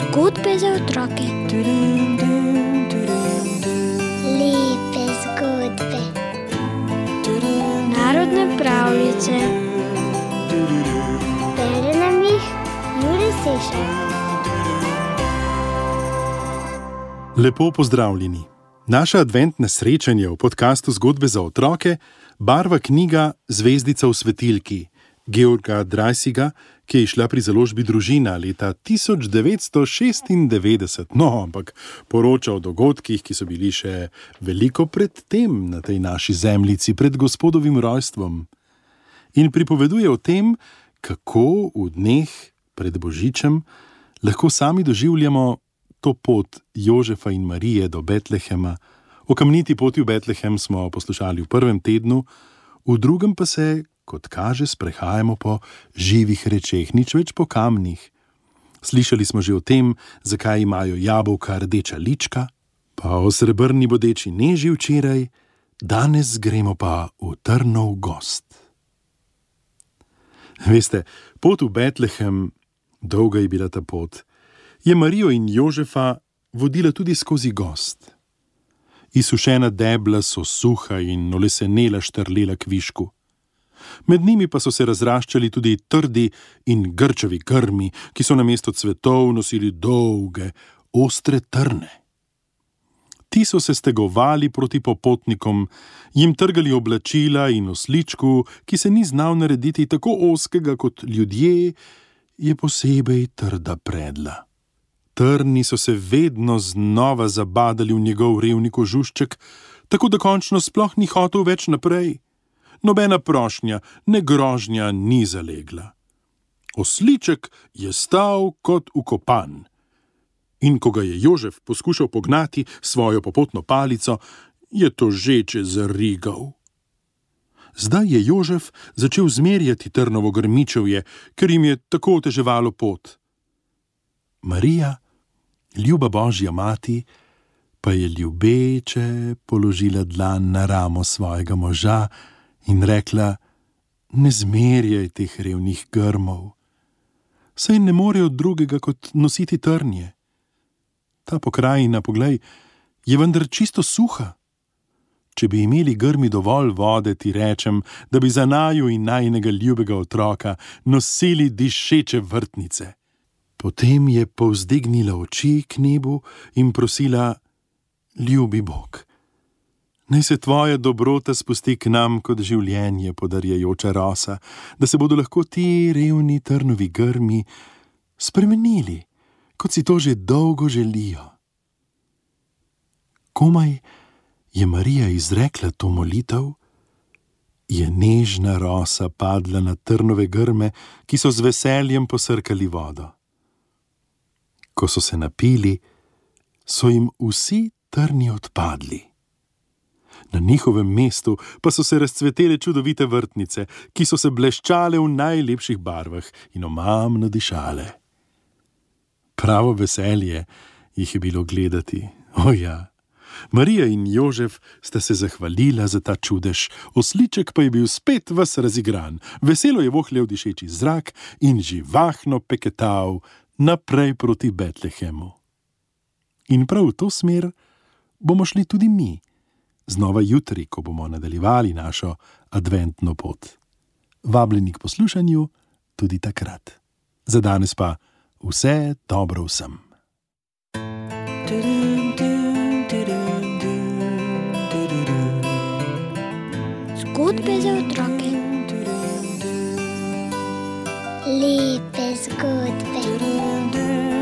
Zgodbe za otroke. Lepe zgodbe. Narodne pravljice. Bere nam jih Jure Sešar. Lepo pozdravljeni. Naše adventne srečanje v podkastu Zgodbe za otroke barva knjiga Zvezdica v svetilki Georga Dreisiga, ki je izšla pri založbi Družina leta 1996. No, ampak poroča o dogodkih, ki so bili še veliko pred tem na tej naši zemljici, pred Gospodovim rojstvom. In pripoveduje o tem, kako v dneh pred Božičem lahko sami doživljamo to pot Jožefa in Marije do Betlehema. O kamniti poti v Betlehem smo poslušali v prvem tednu, v drugem pa se, kot kaže, sprehajamo po živih rečeh, nič več po kamnih. Slišali smo že o tem, zakaj imajo jabolka rdeča lička, pa o srebrni bodeči neži včeraj, danes gremo pa v Trnov gozd. Veste, pot v Betlehem, dolga je bila ta pot, je Marijo in Jožefa vodila tudi skozi gozd. Izsušena debla so suha in olesenela štrlela kvišku. Med njimi pa so se razraščali tudi trdi in grčavi grmi, ki so namesto cvetov nosili dolge, ostre trne. Ti so se stegovali proti popotnikom, jim trgali oblačila in osličku, ki se ni znal narediti tako ozkega kot ljudje, je posebej trda predla. Trni so se vedno znova zabadali v njegov revni kožušček, tako da končno sploh ni hotel več naprej. Nobena prošnja, ne grožnja ni zalegla. Osliček je stal kot ukopan. In ko ga je Jožef poskušal pognati svojo popotno palico, je tožeče zarigal. Zdaj je Jožef začel zmerjati trnovo grmičevje, ker jim je tako oteževalo pot. Marija, ljuba Božja mati, pa je ljubeče položila dlan na ramo svojega moža in rekla: ne zmerjaj teh revnih grmov, saj ne morejo drugega kot nositi trnje. Ta pokrajina, poglej, je vendar čisto suha. Če bi imeli grmi dovolj vode, ti rečem, da bi za naju in najinega ljubega otroka nosili dišeče vrtnice. Potem je povzdignila oči k nebu in prosila: ljubi Bog, naj se tvoja dobrota spusti k nam kot življenje podarjajoča rosa, da se bodo lahko ti revni trnovi grmi spremenili, kot si to že dolgo želijo. Komaj je Marija izrekla to molitev, je nežna rosa padla na trnove grme, ki so z veseljem posrkali vodo. Ko so se napili, so jim vsi trni odpadli. Na njihovem mestu pa so se razcvetele čudovite vrtnice, ki so se bleščale v najlepših barvah in omamno dišale. Pravo veselje jih je bilo gledati. O ja, Marija in Jožef sta se zahvalila za ta čudež, osliček pa je bil spet ves razigran, veselo je vohljal dišeči zrak in živahno peketal naprej proti Betlehemu. In prav v to smer bomo šli tudi mi, znova jutri, ko bomo nadaljevali našo adventno pot. Vabljeni k poslušanju tudi takrat. Za danes pa vse dobro vsem. Zgodbe za otroke. Lepe zgodbe.